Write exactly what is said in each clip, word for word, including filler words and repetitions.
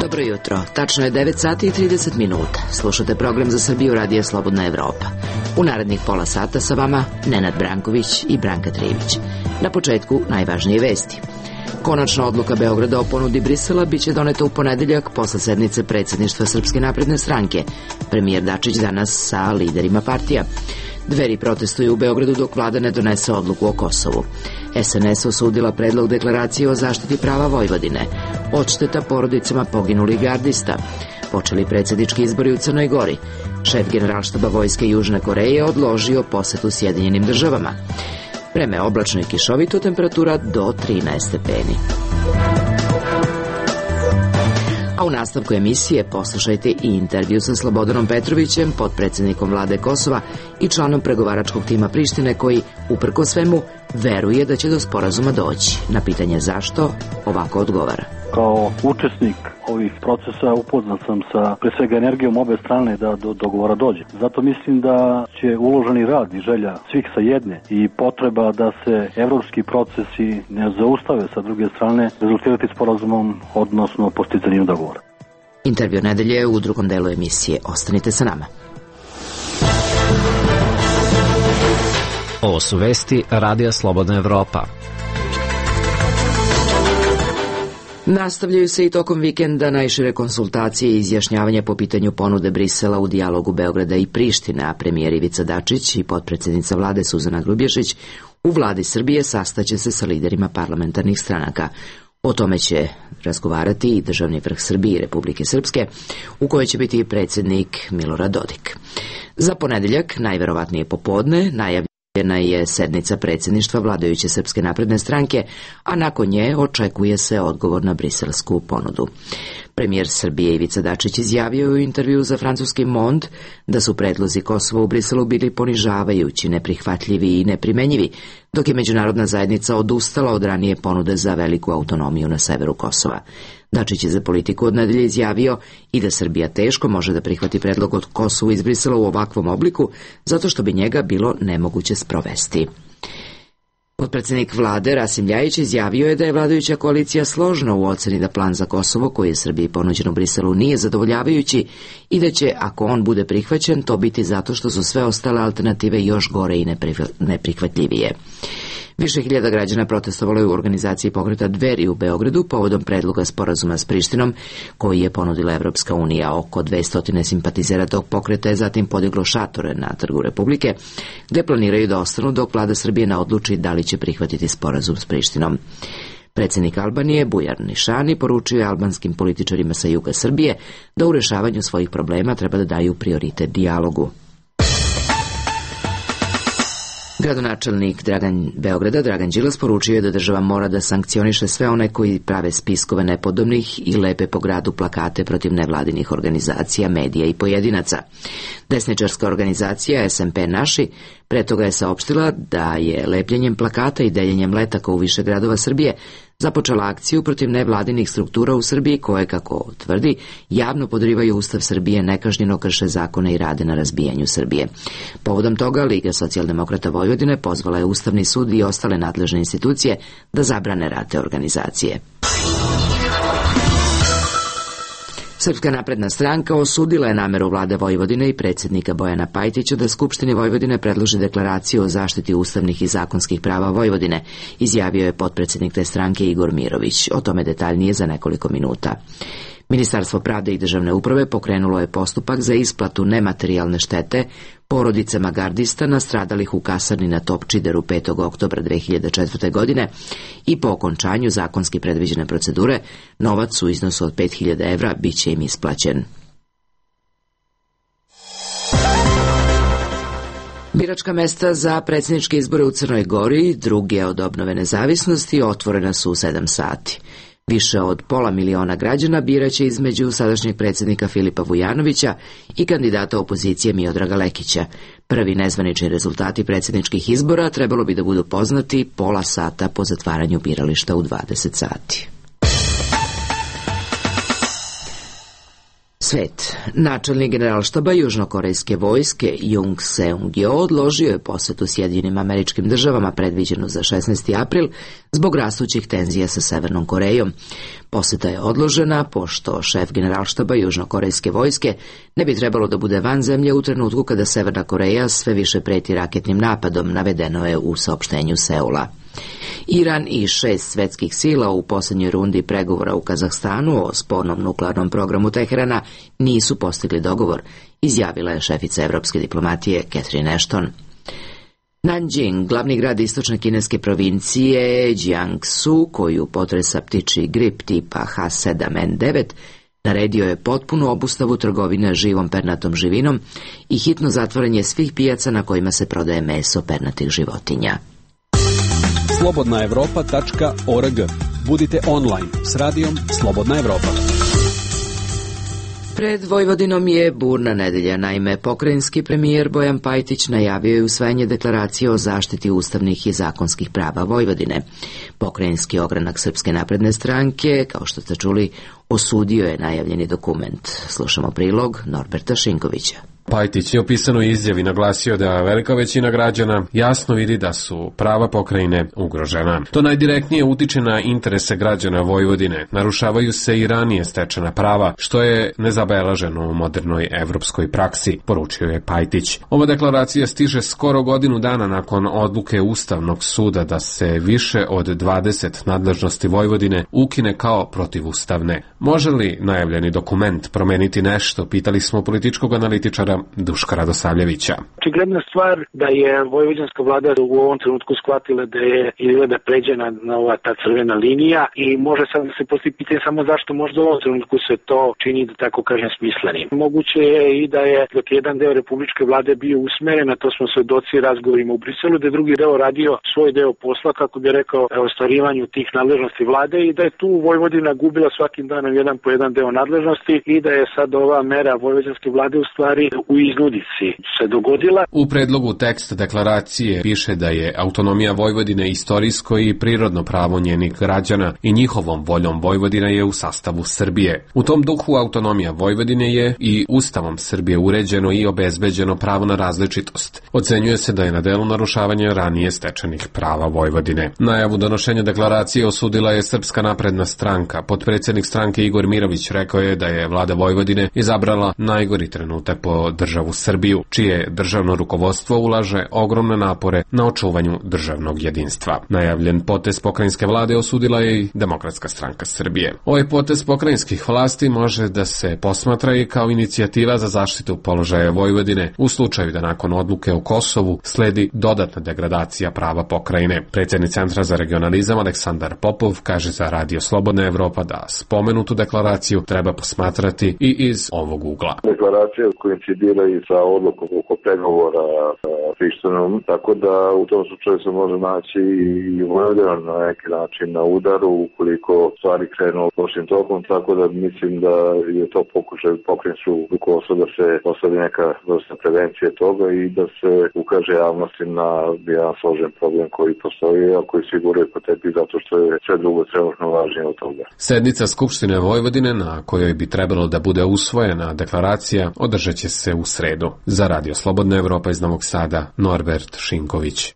Dobro jutro, tačno je devet sati i trideset minuta. Slušate program Za Srbiju radija Slobodna Evropa. U narednih pola sata sa vama Nenad Branković i Branka Trivić. Na početku najvažnije vesti. Konačna odluka Beograda o ponudi Brisela biće doneta u ponedeljak posle sednice predsjedništva Srpske napredne stranke. Premijer Dačić danas sa liderima partija. Dveri protestuju u Beogradu dok vlada ne donese odluku o Kosovu. es en es osudila predlog deklaracije o zaštiti prava Vojvodine. Odšteta porodicama poginulih gardista. Počeli predsjednički izbori u Crnoj Gori. Šef generalštaba vojske Južne Koreje odložio posetu Sjedinjenim državama. Vreme oblačno i kišovito, temperatura do trinaest stepeni. A u nastavku emisije poslušajte i intervju sa Slobodanom Petrovićem, potpredsjednikom vlade Kosova i članom pregovaračkog tima Prištine koji, uprkos svemu, veruje da će do sporazuma doći. Na pitanje zašto, ovako odgovara. Kao učesnik ovih procesa upoznat sam sa pre svega energijom obe strane da do dogovora dođe. Zato mislim da će uloženi rad i želja svih sa jedne i potreba da se evropski procesi ne zaustave sa druge strane rezultirati sporazumom, odnosno postizanjem dogovora. Intervju nedelje u drugom delu emisije. Ostanite sa nama. Ovo su vesti Radija Slobodna Evropa. Nastavljaju se i tokom vikenda najšire konsultacije i izjašnjavanja po pitanju ponude Brisela u dijalogu Beograda i Prištine, a premijer Ivica Dačić i potpredsjednica vlade Suzana Grubješić u vladi Srbije sastaće se sa liderima parlamentarnih stranaka. O tome će razgovarati i državni vrh Srbije i Republike Srpske, u kojoj će biti i predsjednik Milorad Dodik. Za ponedeljak, najverovatnije popodne, najavljeno je sednica predsjedništva vladajuće Srpske napredne stranke, a nakon nje očekuje se odgovor na briselsku ponudu. Premijer Srbije Ivica Dačić izjavio u intervju za francuski Monde da su predlozi Kosova u Briselu bili ponižavajući, neprihvatljivi i neprimenjivi, dok je međunarodna zajednica odustala od ranije ponude za veliku autonomiju na severu Kosova. Dačić je za Politiku od nedelje izjavio i da Srbija teško može da prihvati predlog od Kosovu iz Brisela u ovakvom obliku, zato što bi njega bilo nemoguće sprovesti. Potpredsjednik vlade Rasim Ljajić izjavio je da je vladajuća koalicija složna u oceni da plan za Kosovo koji je Srbiji ponuđen u Briselu nije zadovoljavajući i da će, ako on bude prihvaćen, to biti zato što su sve ostale alternative još gore i neprihvatljivije. Više hiljada građana protestovalo je u organizaciji pokreta Dveri u Beogradu povodom predloga sporazuma s Prištinom koji je ponudila Evropska unija. Oko dvesta simpatizera tog pokreta je zatim podiglo šatore na Trgu Republike, gde planiraju da ostanu dok vlada Srbije ne odluči da li će prihvatiti sporazum s Prištinom. Predsjednik Albanije Bujar Nišani poručio je albanskim političarima sa juga Srbije da u rešavanju svojih problema treba da daju prioritet dijalogu. Gradonačelnik Dragan Beograda, Dragan Đilas, poručio je da država mora da sankcioniše sve one koji prave spiskove nepodobnih i lepe po gradu plakate protiv nevladinih organizacija, medija i pojedinaca. Desničarska organizacija es em pe Naši pre toga je saopštila da je lepljenjem plakata i deljenjem letaka u više gradova Srbije započela akciju protiv nevladinih struktura u Srbiji koje, kako tvrdi, javno podrivaju Ustav Srbije, nekažnjeno krše zakone i rade na razbijanju Srbije. Povodom toga Liga socijaldemokrata Vojvodine pozvala je Ustavni sud i ostale nadležne institucije da zabrane rad te organizacije. Srpska napredna stranka osudila je nameru vlade Vojvodine i predsjednika Bojana Pajtića da Skupštini Vojvodine predloži deklaraciju o zaštiti ustavnih i zakonskih prava Vojvodine, izjavio je potpredsjednik te stranke Igor Mirović. O tome detaljnije za nekoliko minuta. Ministarstvo pravde i državne uprave pokrenulo je postupak za isplatu nematerijalne štete porodicama gardista nastradalih u kasarni na Topčideru petog oktobra dve hiljade četvrte. godine i po okončanju zakonski predviđene procedure novac u iznosu od pet hiljada evra bit će im isplaćen. Biračka mesta za predsjedničke izbore u Crnoj Gori, druge od obnove nezavisnosti, otvorena su u sedam sati. Više od pola miliona građana biraće između sadašnjeg predsjednika Filipa Vujanovića i kandidata opozicije Miodraga Lekića. Prvi nezvanični rezultati predsjedničkih izbora trebalo bi da budu poznati pola sata po zatvaranju birališta u dvadeset sati. Svet. Načelnik generalštaba južnokorejske vojske Jung Seung-jo odložio je posetu Sjedinjenim Američkim Državama predviđenu za šesnaesti april zbog rastućih tenzija sa Severnom Korejom. Poseta je odložena pošto šef generalštaba južnokorejske vojske ne bi trebalo da bude van zemlje u trenutku kada Severna Koreja sve više preti raketnim napadom, navedeno je u saopštenju Seula. Iran i šest svetskih sila u posljednjoj rundi pregovora u Kazahstanu o spornom nuklearnom programu Teherana nisu postigli dogovor, izjavila je šefica evropske diplomatije Catherine Ashton. Nanjing, glavni grad istočne kineske provincije Jiangsu, koju potresa ptičji grip tipa H sedam N devet, naredio je potpunu obustavu trgovine živom pernatom živinom i hitno zatvaranje svih pijaca na kojima se prodaje meso pernatih životinja. slobodna evropa tačka org. Budite online s radijom Slobodna Evropa. Pred Vojvodinom je burna nedelja, naime pokrajinski premijer Bojan Pajtić najavio je usvajanje deklaracije o zaštiti ustavnih i zakonskih prava Vojvodine. Pokrajinski ogranak Srpske napredne stranke, kao što ste čuli, osudio je najavljeni dokument. Slušamo prilog Norberta Šinkovića. Pajtić je u pisanoj izjavi naglasio da velika većina građana jasno vidi da su prava pokrajine ugrožena. To najdirektnije utiče na interese građana Vojvodine. Narušavaju se i ranije stečena prava, što je nezabeleženo u modernoj evropskoj praksi, poručio je Pajtić. Ova deklaracija stiže skoro godinu dana nakon odluke Ustavnog suda da se više od dvadeset nadležnosti Vojvodine ukine kao protivustavne. Može li najavljeni dokument promeniti nešto, pitali smo političkog analitičara Duška Radosavljevića. Očigledna stvar da je vojvođanska vlada u ovom trenutku shvatila da je izgleda pređena na ova ta crvena linija i može sad da se postavi pitanje samo zašto možda u ovom trenutku se to čini, da tako kažem, smislenim. Moguće je i da je dok jedan deo republičke vlade bio usmeren, a to smo svedoci razgovorima u Briselu, da je drugi deo radio svoj deo posla, kako bi rekao, ostvarivanju tih nadležnosti vlade i da je tu Vojvodina gubila svakim danom jedan po jedan deo nadležnosti i da je sad ova mera vojvođanske vlade u stvari u iznudici se dogodila. U predlogu teksta deklaracije piše da je autonomija Vojvodine istorijsko i prirodno pravo njenih građana i njihovom voljom Vojvodina je u sastavu Srbije. U tom duhu autonomija Vojvodine je i Ustavom Srbije uređeno i obezbeđeno pravo na različitost. Ocenjuje se da je na delu narušavanje ranije stečenih prava Vojvodine. Najavu donošenja deklaracije osudila je Srpska napredna stranka. Potpredsjednik stranke Igor Mirović rekao je da je vlada Vojvodine izabrala najgori trenutak po državu Srbiju, čije državno rukovodstvo ulaže ogromne napore na očuvanju državnog jedinstva. Najavljen potez pokrajinske vlade osudila je i Demokratska stranka Srbije. Ovaj potez pokrajinskih vlasti može da se posmatra i kao inicijativa za zaštitu položaja Vojvodine u slučaju da nakon odluke o Kosovu sledi dodatna degradacija prava pokrajine. Predsjednik Centra za regionalizam Aleksandar Popov kaže za Radio Slobodna Evropa da spomenutu deklaraciju treba posmatrati i iz ovog ugla. Deklaracija koincidira i sa odlukom oko pregovora sa Prištinom, tako da u tom slučaju se može naći i Vojvodina na neki način na udaru ukoliko stvari krenu lošim tokom, tako da mislim da je to pokušaj pokrajinsku rukovodstva da se postavi neka vrsta prevencije toga i da se ukaže javnosti na jedan složen problem koji postoji, a koji siguruje po tepi zato što je sve drugo trenutno važnije od toga. Sednica Skupštine Vojvodine na kojoj bi trebalo da bude usvojena deklaracija održat će se u sredu. Za Radio Slobodna Evropa iz Novog Sada, Norbert Šinković.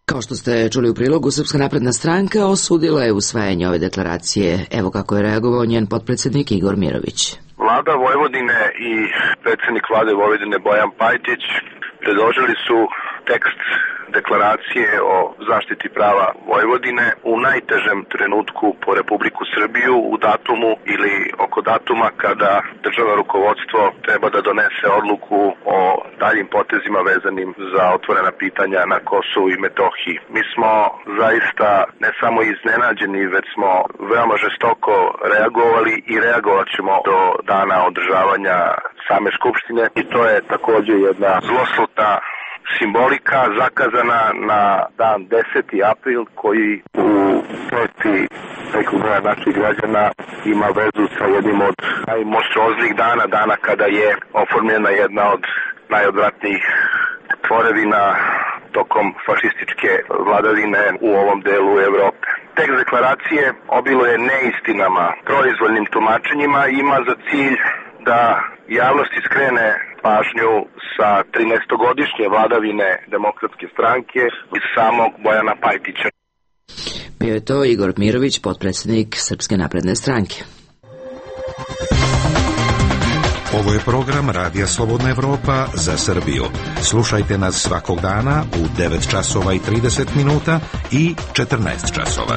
Kao što ste čuli u prilogu, Srpska napredna stranka osudila je usvajanje ove deklaracije. Evo kako je reagovao njen potpredsjednik Igor Mirović. Vlada Vojvodine i predsjednik vlade Vojvodine Bojan Pajtić predložili su tekst deklaracije o zaštiti prava Vojvodine u najtežem trenutku po Republiku Srbiju, u datumu ili oko datuma kada državno rukovodstvo treba da donese odluku o daljim potezima vezanim za otvorena pitanja na Kosovu i Metohiji. Mi smo zaista ne samo iznenađeni, već smo veoma žestoko reagovali i reagovat ćemo do dana održavanja same Skupštine i to je također jedna zloslutna simbolika zakazana na dan deseti april koji u peti nekog broja naših građana ima vezu sa jednim od najmonstruoznijih dana, dana kada je oformljena jedna od najodvratnijih tvorevina tokom fašističke vladavine u ovom delu Evrope. Tekst deklaracije obiluje neistinama, proizvoljnim tumačenjima i ima za cilj da javnosti skrene pažnju sa trinaestogodišnje vladavine Demokratske stranke i samog Bojana Pajtića. Bio je to Igor Mirović, potpredsjednik Srpske napredne stranke. Ovo je program Radija Slobodna Evropa za Srbiju. Slušajte nas svakog dana u devet časova i trideset minuta i četrnaest časova.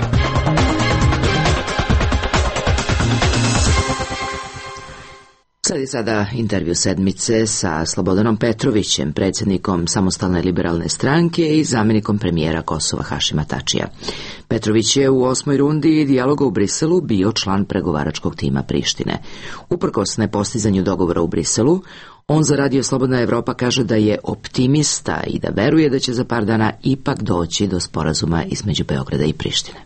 Sad je sada intervju sedmice sa Slobodanom Petrovićem, predsjednikom Samostalne liberalne stranke i zamjenikom premijera Kosova Hašima Tačija. Petrović je u osmoj rundi dijaloga u Briselu bio član pregovaračkog tima Prištine. Uprkos nepostizanju dogovora u Briselu, on za Radio Slobodna Evropa kaže da je optimista i da veruje da će za par dana ipak doći do sporazuma između Beograda i Prištine.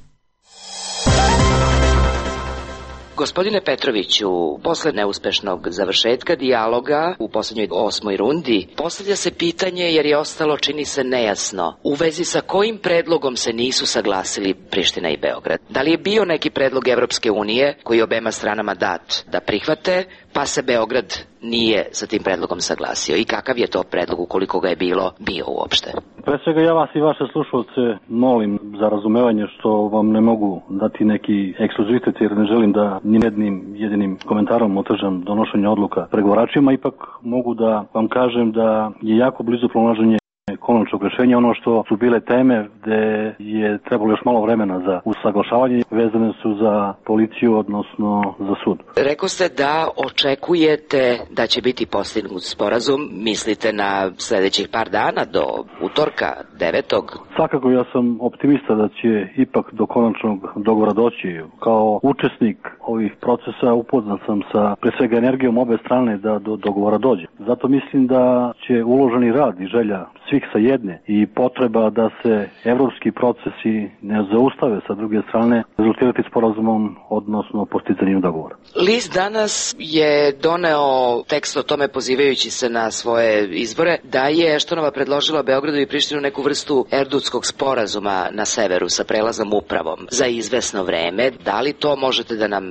Gospodine Petroviću, posle neuspešnog završetka dijaloga u posljednjoj osmoj rundi, postavlja se pitanje, jer je ostalo, čini se, nejasno, u vezi sa kojim predlogom se nisu saglasili Priština i Beograd. Da li je bio neki predlog Evropske unije koji je obema stranama dat da prihvate, pa se Beograd nije sa tim predlogom saglasio? I kakav je to predlog, ukoliko ga je bilo, bio uopšte? Pre svega ja vas i vaše slušalce molim za razumevanje što vam ne mogu dati neki ekskluzivitet, jer ne želim da ni jednim jedinim komentarom otežam donošenje odluka pregovaračima. Ipak mogu da vam kažem da je jako blizu pronalaženje konačnog rešenja. Ono što su bile teme gde je trebalo još malo vremena za usaglašavanje, vezane su za policiju, odnosno za sud. Rekao ste da očekujete da će biti postignut sporazum, mislite na sljedećih par dana, do utorka, devetog? Svakako ja sam optimista da će ipak do konačnog dogovora doći. Kao učesnik ovih procesa upoznat sam sa pre svega energijom obe strane da do dogovora dođe. Zato mislim da će uloženi rad i želja svih sa jedne i potreba da se evropski procesi ne zaustave sa druge strane rezultirati sporazumom, odnosno postizanjem dogovora. List danas je doneo tekst o tome, pozivajući se na svoje izbore, da je Štonova predložila Beogradu i Prištinu neku vrstu erdutskog sporazuma na severu sa prelaznom upravom za izvesno vreme. Da li to možete da nam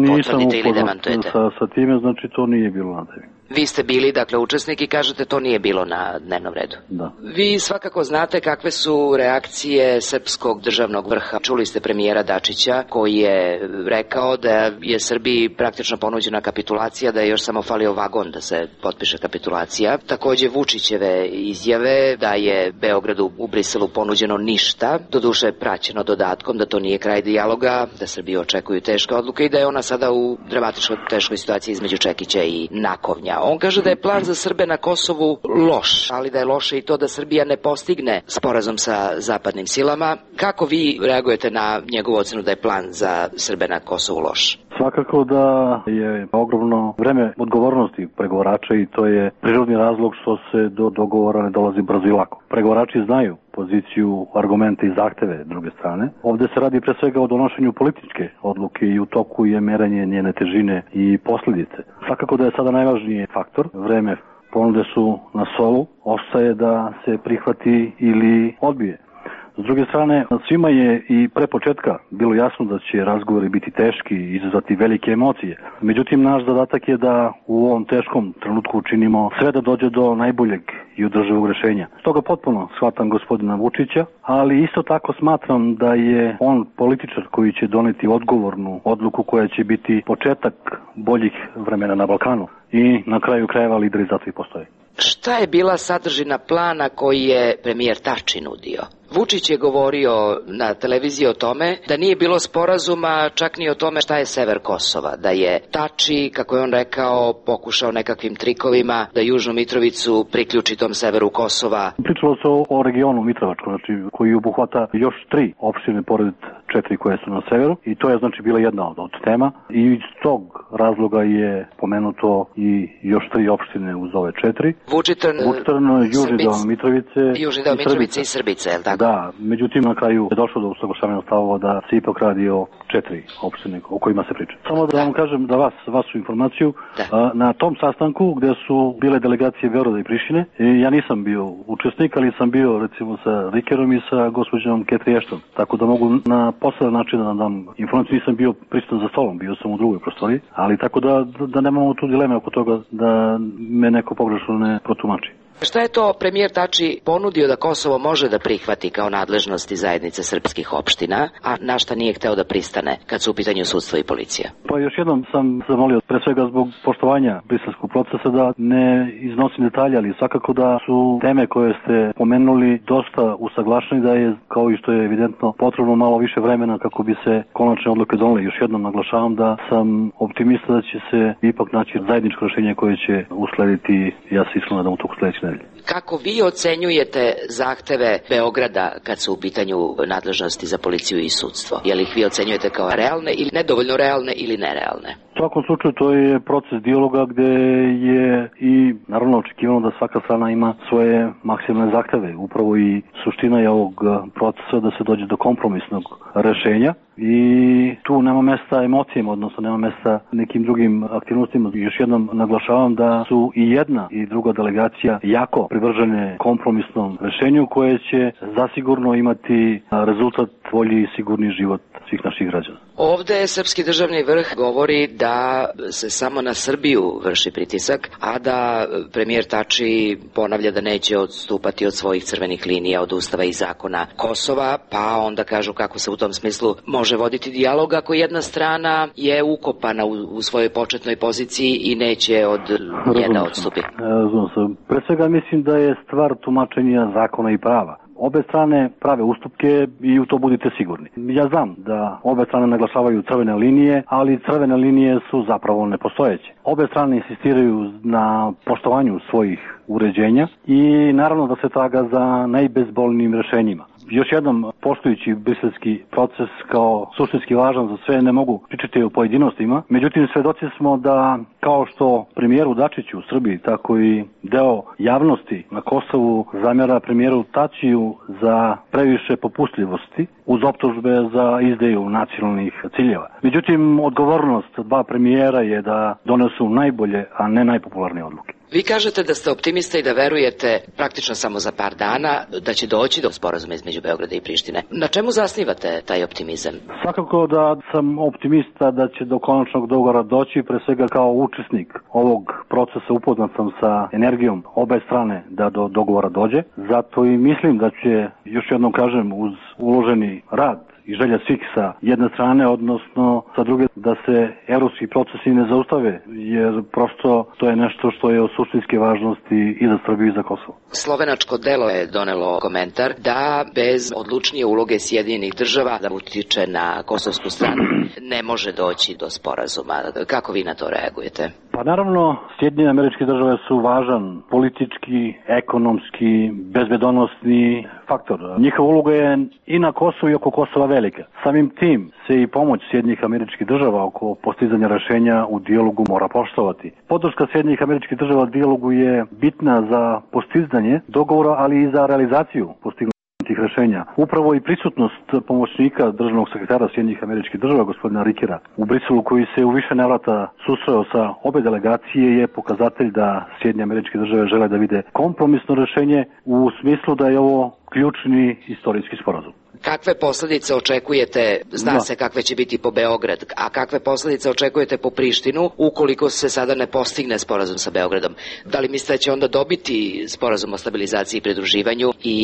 potvrdite ili demantujete? Sa, sa time, znači to nije bilo na tebi. Vi ste bili, dakle, učesnik i kažete to nije bilo na dnevnom redu. Da. Vi svakako znate kakve su reakcije srpskog državnog vrha. Čuli ste premijera Dačića koji je rekao da je Srbiji praktično ponuđena kapitulacija, da je još samo falio vagon da se potpiše kapitulacija. Takođe Vučićeve izjave da je Beogradu u Briselu ponuđeno ništa, doduše praćeno dodatkom da to nije kraj dijaloga, da Srbiju očekuju teške odluke i da je ona sada u dramatično teškoj situaciji između Čekića i Nakovnja. On kaže da je plan za Srbe na Kosovu loš, ali da je loše i to da Srbija ne postigne sporazum sa zapadnim silama. Kako vi reagujete na njegovu ocenu da je plan za Srbe na Kosovu loš? Svakako da je ogromno vreme odgovornosti pregovarača i to je prirodni razlog što se do dogovora ne dolazi brzo i lako. Pregovarači znaju poziciju, argumente i zahteve druge strane. Ovde se radi pre svega o donošenju političke odluke i u toku je merenje njene težine i posljedice. Svakako da je sada najvažniji faktor. Vreme ponude su na stolu, ostaje da se prihvati ili odbije. S druge strane, svima je i pre početka bilo jasno da će razgovori biti teški i izazvati velike emocije. Međutim, naš zadatak je da u ovom teškom trenutku učinimo sve da dođe do najboljeg i održivog rešenja. Stoga potpuno shvatam gospodina Vučića, ali isto tako smatram da je on političar koji će doneti odgovornu odluku koja će biti početak boljih vremena na Balkanu i na kraju krajeva lideri zato i postoje. Šta je bila sadržina plana koji je premijer Tači nudio? Vučić je govorio na televiziji o tome da nije bilo sporazuma čak ni o tome šta je sever Kosova, da je Tači, kako je on rekao, pokušao nekakvim trikovima da Južnu Mitrovicu priključi tom severu Kosova. Pričalo se o, o regionu Mitrovačkom, znači, koji obuhvata još tri opštine pored četiri koje su na severu i to je znači bila jedna od, od tema i iz tog razloga je pomenuto i još tri opštine uz ove četiri. Vučitrn, Vučitrn Južni deo Mitrovice, Južni deo Mitrovice i Srbice, je li tako? Da, međutim na kraju je došlo do usaglašavanja stavova da se ipak radi o četiri opštine o kojima se priča. Samo da vam kažem da vas, vašu informaciju, a, na tom sastanku gde su bile delegacije Beograda i Prištine, ja nisam bio učesnik, ali sam bio recimo sa Rikerom i sa gospođom Cathy Ashton, tako da mogu na poseban način da dam informaciju, nisam bio prisutan za stolom, bio sam u drugoj prostoriji, ali tako da, da nemamo tu dileme oko toga da me neko pogrešno ne protumači. Šta je to premijer Tači ponudio da Kosovo može da prihvati kao nadležnosti zajednice srpskih opština, a na šta nije hteo da pristane kad su u pitanju sudstvo i policija? Pa još jednom sam zamolio, pre svega zbog poštovanja briselskog procesa, da ne iznosim detalje, ali svakako da su teme koje ste pomenuli dosta usaglašeni, da je, kao i što je evidentno, potrebno malo više vremena kako bi se konačne odluke donele. Još jednom naglašavam da sam optimista da će se ipak naći zajedničko rešenje koje će uslediti, ja se iskreno nadam, u toku sledeće nedelje. Kako vi ocenjujete zahteve Beograda kad su u pitanju nadležnosti za policiju i sudstvo? Je li ih vi ocenjujete kao realne ili nedovoljno realne ili nerealne? U svakom slučaju to je proces dijaloga gde je i naravno očekivano da svaka strana ima svoje maksimalne zahteve. Upravo i suština je ovog procesa da se dođe do kompromisnog rešenja i tu nema mesta emocijama, odnosno nema mesta nekim drugim aktivnostima. Još jednom naglašavam da su i jedna i druga delegacija jako privržene kompromisnom rešenju koje će zasigurno imati rezultat bolji i sigurni život svih naših građana. Ovde srpski državni vrh govori da se samo na Srbiju vrši pritisak, a da premijer Tači ponavlja da neće odstupati od svojih crvenih linija, od ustava i zakona Kosova, pa onda kažu kako se u tom smislu može voditi dijalog ako jedna strana je ukopana u, u svojoj početnoj poziciji i neće od nje da odstupi. Razumem se. Pre svega mislim da je stvar tumačenja zakona i prava. Obe strane prave ustupke i u to budite sigurni. Ja znam da obe strane naglašavaju crvene linije, ali crvene linije su zapravo nepostojeće. Obe strane insistiraju na poštovanju svojih uređenja i naravno da se traga za najbezbolnijim rešenjima. Još jednom, poštujući briselski proces kao suštinski važan za sve, ne mogu pričati o pojedinostima. Međutim, svedoci smo da, kao što premijeru Dačiću u Srbiji, tako i deo javnosti na Kosovu zamjera premijeru Tačiju za previše popustljivosti uz optužbe za izdaju nacionalnih ciljeva. Međutim, odgovornost dva premijera je da donesu najbolje, a ne najpopularnije odluke. Vi kažete da ste optimista i da verujete praktično samo za par dana da će doći do sporazuma između Beograda i Prištine. Na čemu zasnivate taj optimizam? Svakako da sam optimista da će do konačnog dogovora doći, pre svega kao učesnik ovog procesa upoznat sam sa energijom obe strane da do dogovora dođe. Zato i mislim da će, još jednom kažem, uz uloženi rad i želja svih sa jedne strane, odnosno sa druge, da se evropski procesi ne zaustave, jer prosto to je nešto što je od suštinske važnosti i za Srbiju i za Kosovo. Slovenačko delo je donelo komentar da bez odlučnije uloge Sjedinjenih država da utiče na kosovsku stranu ne može doći do sporazuma. Kako vi na to reagujete? Pa naravno, Sjedinjene Američke Države su važan politički, ekonomski, bezbedonosni faktor. Njihova uloga je i na Kosovu i oko Kosova velika. Samim tim se i pomoć Sjedinjenih Američkih Država oko postizanja rešenja u dijalogu mora poštovati. Podrška Sjedinjenih Američkih Država u dijalogu je bitna za postizanje dogovora, ali i za realizaciju postignutih tih rešenja. Upravo i prisutnost pomoćnika državnog sekretara Sjedinjenih Američkih Država, gospodina Rikera, u Briselu, koji se u više navrata susreo sa obe delegacije, je pokazatelj da Sjedinjene Američke Države žele da vide kompromisno rešenje u smislu da je ovo ključni istorijski sporazum. Kakve posledice očekujete, zna da. se kakve će biti po Beograd, a kakve posledice očekujete po Prištinu ukoliko se sada ne postigne sporazum sa Beogradom? Da li mislite da će onda dobiti sporazum o stabilizaciji i pridruživanju i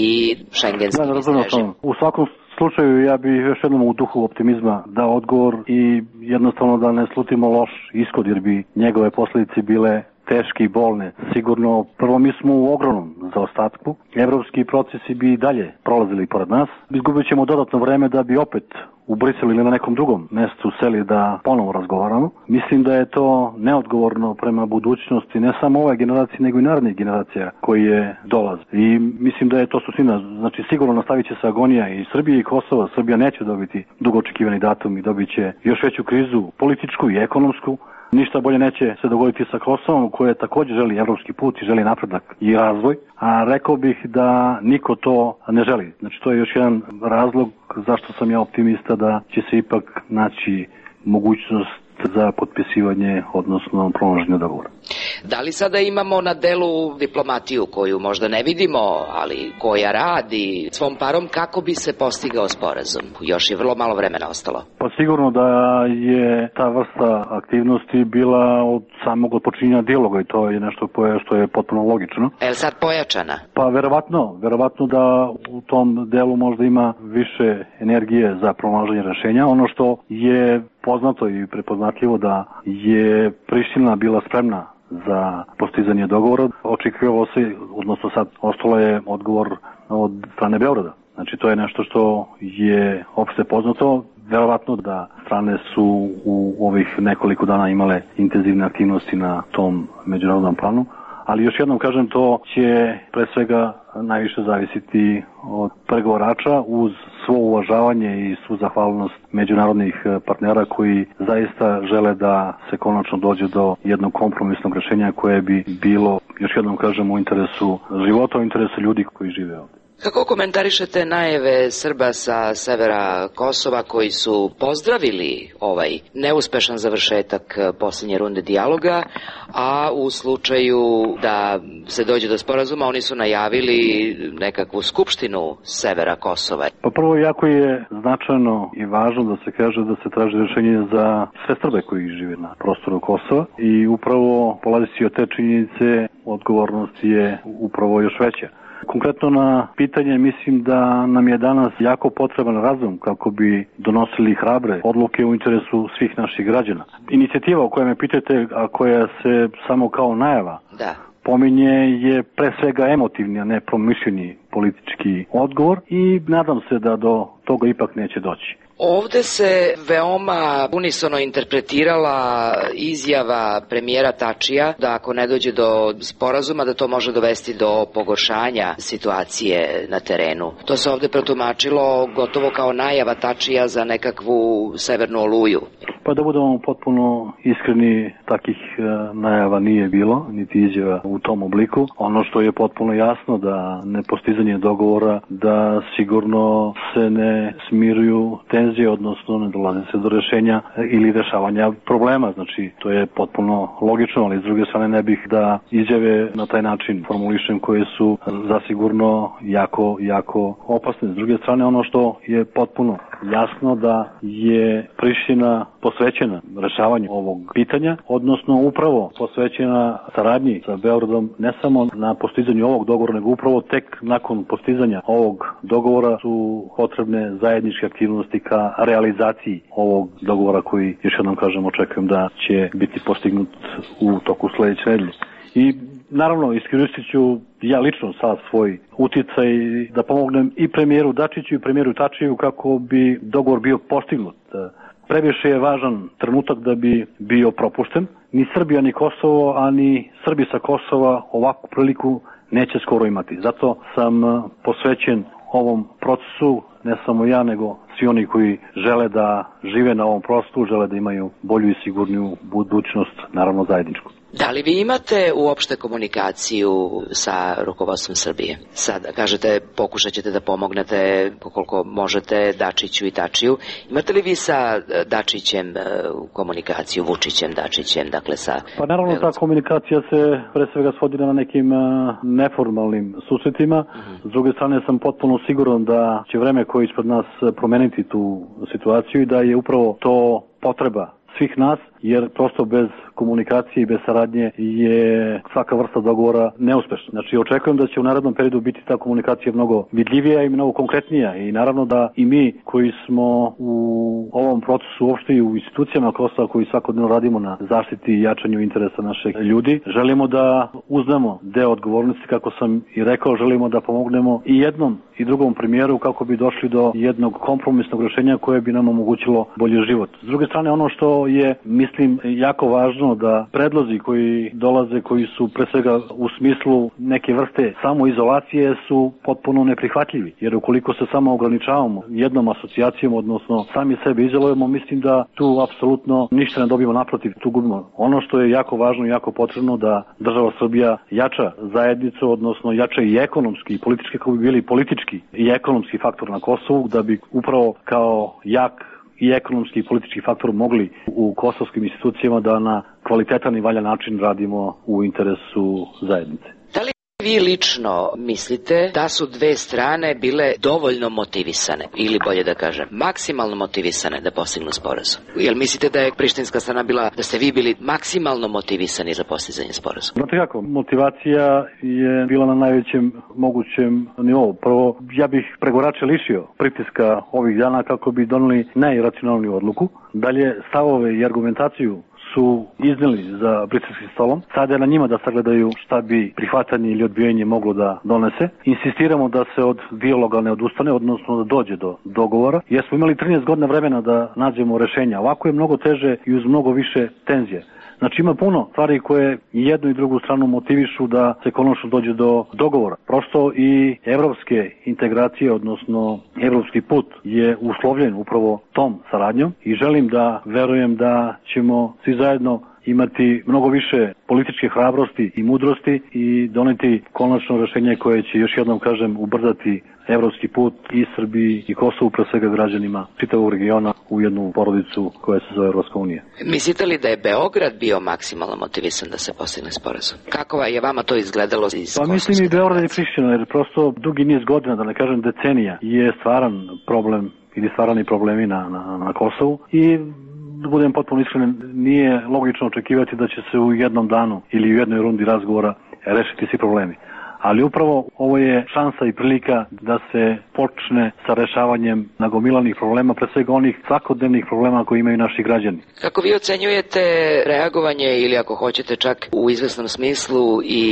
šengenski da, režim? U svakom slučaju ja bih još jednom u duhu optimizma dao odgovor i jednostavno da ne slutimo loš ishod, jer bi njegove posledice bile teške i bolne. Sigurno, prvo mi smo u ogromnom zaostatku. Evropski procesi bi dalje prolazili pored nas. Izgubit ćemo dodatno vreme da bi opet u Briselu ili na nekom drugom mestu seli da ponovo razgovaramo. Mislim da je to neodgovorno prema budućnosti ne samo ove generacije, nego i narednih generacija koje dolaze. I mislim da je to suština. Znači, sigurno nastavit će se agonija i Srbije i Kosova. Srbija neće dobiti dugo očekivani datum i dobit će još veću krizu političku i ekonomsku. Ništa bolje neće se dogoditi sa Kosovom, koje također želi evropski put i želi napredak i razvoj, a rekao bih da niko to ne želi. Znači, to je još jedan razlog zašto sam ja optimista da će se ipak naći mogućnost za potpisivanje, odnosno promlaženje dogovora. Da li sada imamo na delu diplomatiju koju možda ne vidimo, ali koja radi svom parom kako bi se postigao sporazum? Još je vrlo malo vremena ostalo. Pa sigurno da je ta vrsta aktivnosti bila od samog počinjenja dijaloga i to je nešto što je potpuno logično. Je li sad pojačana? Pa verovatno, verovatno da u tom delu možda ima više energije za pronalaženje rešenja. Ono što je poznato i prepoznatljivo da je Priština bila spremna za postizanje dogovora. Očekivalo se, odnosno sad ostalo je odgovor od strane Beograda. Znači to je nešto što je opšte poznato. Verovatno da strane su u ovih nekoliko dana imale intenzivne aktivnosti na tom međunarodnom planu. Ali još jednom kažem, to će pre svega najviše zavisiti od pregovarača uz svo uvažavanje i svu zahvalnost međunarodnih partnera koji zaista žele da se konačno dođe do jednog kompromisnog rešenja koje bi bilo, još jednom kažem, u interesu života, u interesu ljudi koji žive ovde. Kako komentarišete najave Srba sa severa Kosova koji su pozdravili ovaj neuspešan završetak posljednje runde dijaloga, a u slučaju da se dođe do sporazuma oni su najavili nekakvu skupštinu severa Kosova? Pa prvo, jako je značajno i važno da se kaže da se traži rešenje za sve Srbe koji žive na prostoru Kosova i upravo polazeći od te činjenice odgovornost je upravo još veća. Konkretno na pitanje mislim da nam je danas jako potreban razum kako bi donosili hrabre odluke u interesu svih naših građana. Inicijativa o kojoj me pitate, a koja se samo kao najava da. pominje, je pre svega emotivni, a ne promišljeni politički odgovor i nadam se da do toga ipak neće doći. Ovde se veoma unisono interpretirala izjava premijera Tačija da ako ne dođe do sporazuma da to može dovesti do pogoršanja situacije na terenu. To se ovde protumačilo gotovo kao najava Tačija za nekakvu severnu oluju. Pa da budemo potpuno iskreni, takih najava nije bilo, niti izjava u tom obliku. Ono što je potpuno jasno da nepostizanje dogovora, da sigurno se ne smiruju tenzije, odnosno ne dolazi se do rešenja ili rešavanja problema. Znači, to je potpuno logično, ali s druge strane ne bih da izjave na taj način formulišem koje su zasigurno jako, jako opasne. S druge strane, ono što je potpuno jasno da je Priština posvećena rešavanju ovog pitanja, odnosno upravo posvećena saradnji sa Beogradom ne samo na postizanju ovog dogovora, nego upravo tek nakon postizanja ovog dogovora su potrebne zajedničke aktivnosti ka realizaciji ovog dogovora koji, još jednom kažem, očekujem da će biti postignut u toku sledeće nedelje. I naravno iskoristit ću ja lično sad svoj uticaj da pomognem i premijeru Dačiću i premijeru Tačiju kako bi dogovor bio postignut. Previše je važan trenutak da bi bio propušten. Ni Srbija ni Kosovo, a ni Srbi sa Kosova ovakvu priliku neće skoro imati. Zato sam posvećen ovom procesu, ne samo ja, nego svi oni koji žele da žive na ovom prostoru, žele da imaju bolju i sigurniju budućnost, naravno zajedničku. Da li vi imate uopšte komunikaciju sa rukovodstvom Srbije? Sad, kažete, pokušat ćete da pomognete koliko možete Dačiću i Tačiju. Imate li vi sa Dačićem komunikaciju, Vučićem, Dačićem, dakle sa... Pa naravno ta komunikacija se pre svega svodi na nekim neformalnim susretima. Uh-huh. S druge strane sam potpuno siguran da će vreme koje ispred nas promeniti tu situaciju i da je upravo to potreba svih nas, jer prosto bez komunikacije i bez saradnje je svaka vrsta dogovora neuspešna. Znači, očekujem da će u narednom periodu biti ta komunikacija mnogo vidljivija i mnogo konkretnija i naravno da i mi koji smo u ovom procesu uopšte i u institucijama Kosova koji svakodnevno radimo na zaštiti i jačanju interesa naših ljudi, želimo da uzmemo deo odgovornosti, kako sam i rekao, želimo da pomognemo i jednom i drugom premijeru kako bi došli do jednog kompromisnog rešenja koje bi nam omogućilo bolji život. S druge strane, ono što je, mislim, jako važno da predlozi koji dolaze, koji su pre svega u smislu neke vrste samoizolacije su potpuno neprihvatljivi. Jer ukoliko se samo ograničavamo jednom asocijacijom, odnosno sami sebe izolujemo, mislim da tu apsolutno ništa ne dobijemo, naprotiv, tu gubimo. Ono što je jako važno i jako potrebno da država Srbija jača zajednicu, odnosno jača i ekonomski i politički, kako bi bili politički i ekonomski faktor na Kosovu, da bi upravo kao jak i ekonomski i politički faktor mogli u kosovskim institucijama da na kvalitetan i valjan način radimo u interesu zajednice. Vi lično mislite da su dve strane bile dovoljno motivisane, ili bolje da kažem, maksimalno motivisane da postignu sporazum? Jel mislite da je prištinska strana bila, da ste vi bili maksimalno motivisani za postizanje sporazuma? Znate kako, motivacija je bila na najvećem mogućem nivou. Prvo, ja bih pregorače lišio pritiska ovih dana kako bi doneli najracionalniju odluku. Dalje, stavove i argumentaciju su izneli za briselskim stolom. Sada je na njima da sagledaju šta bi prihvatanje ili odbijanje moglo da donese. Insistiramo da se od dijaloga ne odustane, odnosno da dođe do dogovora, jer smo imali trinaest godina vremena da nađemo rešenja. Ovako je mnogo teže i uz mnogo više tenzije. Znači ima puno stvari koje i jednu i drugu stranu motivišu da se konačno dođe do dogovora. Prosto i evropske integracije, odnosno evropski put je uslovljen upravo tom saradnjom i želim da verujem da ćemo svi zajedno imati mnogo više političke hrabrosti i mudrosti i doneti konačno rešenje koje će, još jednom kažem, ubrzati evropski put i Srbiji i Kosovu, pre svega građanima čitavog regiona, u jednu porodicu koja se zove Evropska unija. Mislite li da je Beograd bio maksimalno motivisan da se postigne sporazum? Kako je vama to izgledalo iz Pa mislim i Beograd i Priština, jer prosto dugi niz godina, da ne kažem decenija, je stvaran problem ili stvarani problemi na, na, na Kosovu i da budem potpuno iskren, nije logično očekivati da će se u jednom danu ili u jednoj rundi razgovora rešiti svi problemi. Ali upravo ovo je šansa i prilika da se počne sa rešavanjem nagomilanih problema, pre svega onih svakodnevnih problema koje imaju naši građani. Kako vi ocenjujete reagovanje ili ako hoćete čak u izvesnom smislu i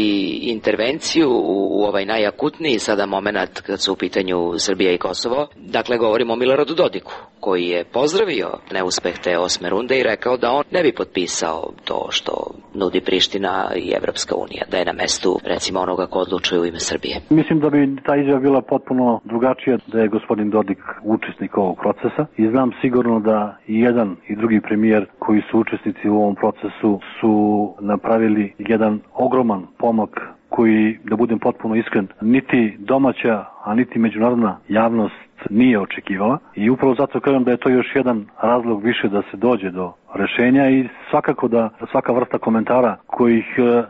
intervenciju u ovaj najakutniji sada moment kad su u pitanju Srbija i Kosovo? Dakle, govorimo o Miloradu Dodiku, koji je pozdravio neuspeh te osme runde i rekao da on ne bi potpisao to što nudi Priština i Evropska unija, da je na mestu recimo onoga ko odlučuje u ime Srbije. Mislim da bi ta izjava bila potpuno drugačija da je gospodin Dodik učesnik ovog procesa i znam sigurno da i jedan i drugi premijer koji su učesnici u ovom procesu su napravili jedan ogroman pomak koji, da budem potpuno iskren, niti domaća, a niti međunarodna javnost nije očekivala i upravo zato kažem da je to još jedan razlog više da se dođe do rešenja i svakako da svaka vrsta komentara kojih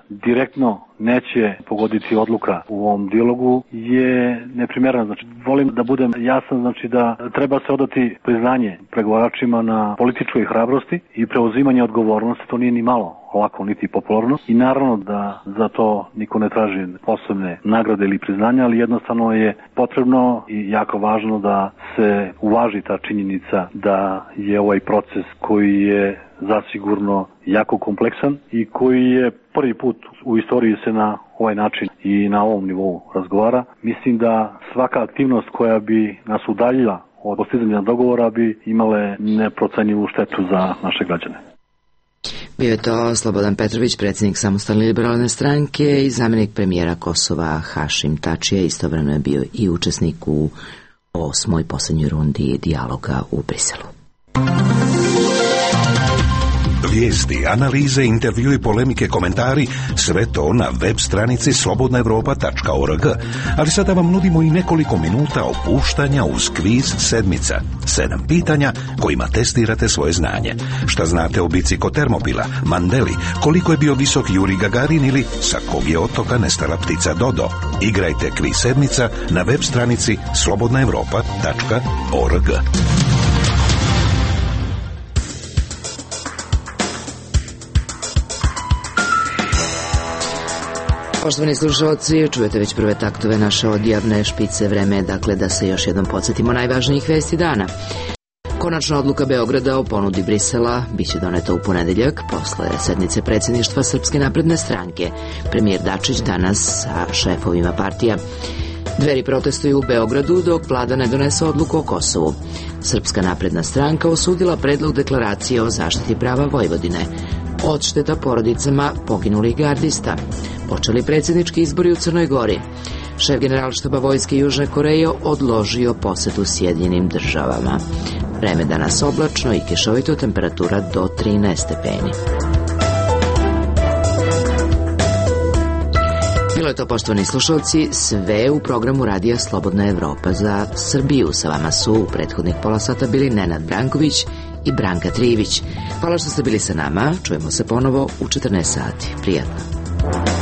direktno neće pogoditi odluka u ovom dijalogu je neprimerena. Znači, volim da budem jasan, znači da treba se odati priznanje pregovaračima na političkoj hrabrosti i preuzimanje odgovornosti, to nije ni malo lako niti popularno i naravno da za to niko ne traži posebne nagrade ili priznanja, ali jednostavno je potrebno i jako važno da se uvaži ta činjenica da je ovaj proces koji je zasigurno jako kompleksan i koji je prvi put u istoriji se na ovaj način i na ovom nivou razgovara. Mislim da svaka aktivnost koja bi nas udaljila od postizanja dogovora bi imale neprocenjivu štetu za naše građane. Bio je to Slobodan Petrović, predsjednik Samostalne liberalne stranke i zamjenik premijera Kosova Hašim Tačija. Istovremeno je bio i učesnik u osmoj posljednjoj rundi dijaloga u Briselu. Vijesti, analize, intervju i polemike, komentari, sve to na web stranici slobodna evropa tačka org. Ali sada vam nudimo i nekoliko minuta opuštanja uz kviz sedmica. Sedam pitanja kojima testirate svoje znanje. Šta znate o bici kod Termopila, Mandeli, koliko je bio visok Juri Gagarin ili sa kog je otoka nestala ptica Dodo. Igrajte kviz sedmica na web stranici slobodna evropa tačka org. Poštovani slušalci, čujete već prve taktove naše odjavne špice. Vreme je dakle da se još jednom podsjetimo najvažnijih vesti dana. Konačna odluka Beograda o ponudi Brisela biće doneta u ponedeljak posle sednice predsjedništva Srpske napredne stranke. Premijer Dačić danas sa šefovima partija. Dveri protestuju u Beogradu dok vlada ne donese odluku o Kosovu. Srpska napredna stranka osudila predlog deklaracije o zaštiti prava Vojvodine. Odšteta porodicama poginulih gardista. Počeli predsjednički izbori u Crnoj Gori. Šef generalštaba vojske Južne Koreje odložio posetu Sjedinjenim državama. Vreme danas oblačno i kišovito, temperatura do trinaest stepeni. Bilo je to, poštovani slušalci, sve u programu Radija Slobodna Evropa za Srbiju. Sa vama su u prethodnih pola sata bili Nenad Branković i Branka Trivić. Hvala što ste bili sa nama, čujemo se ponovo u četrnaest sati. Prijatno.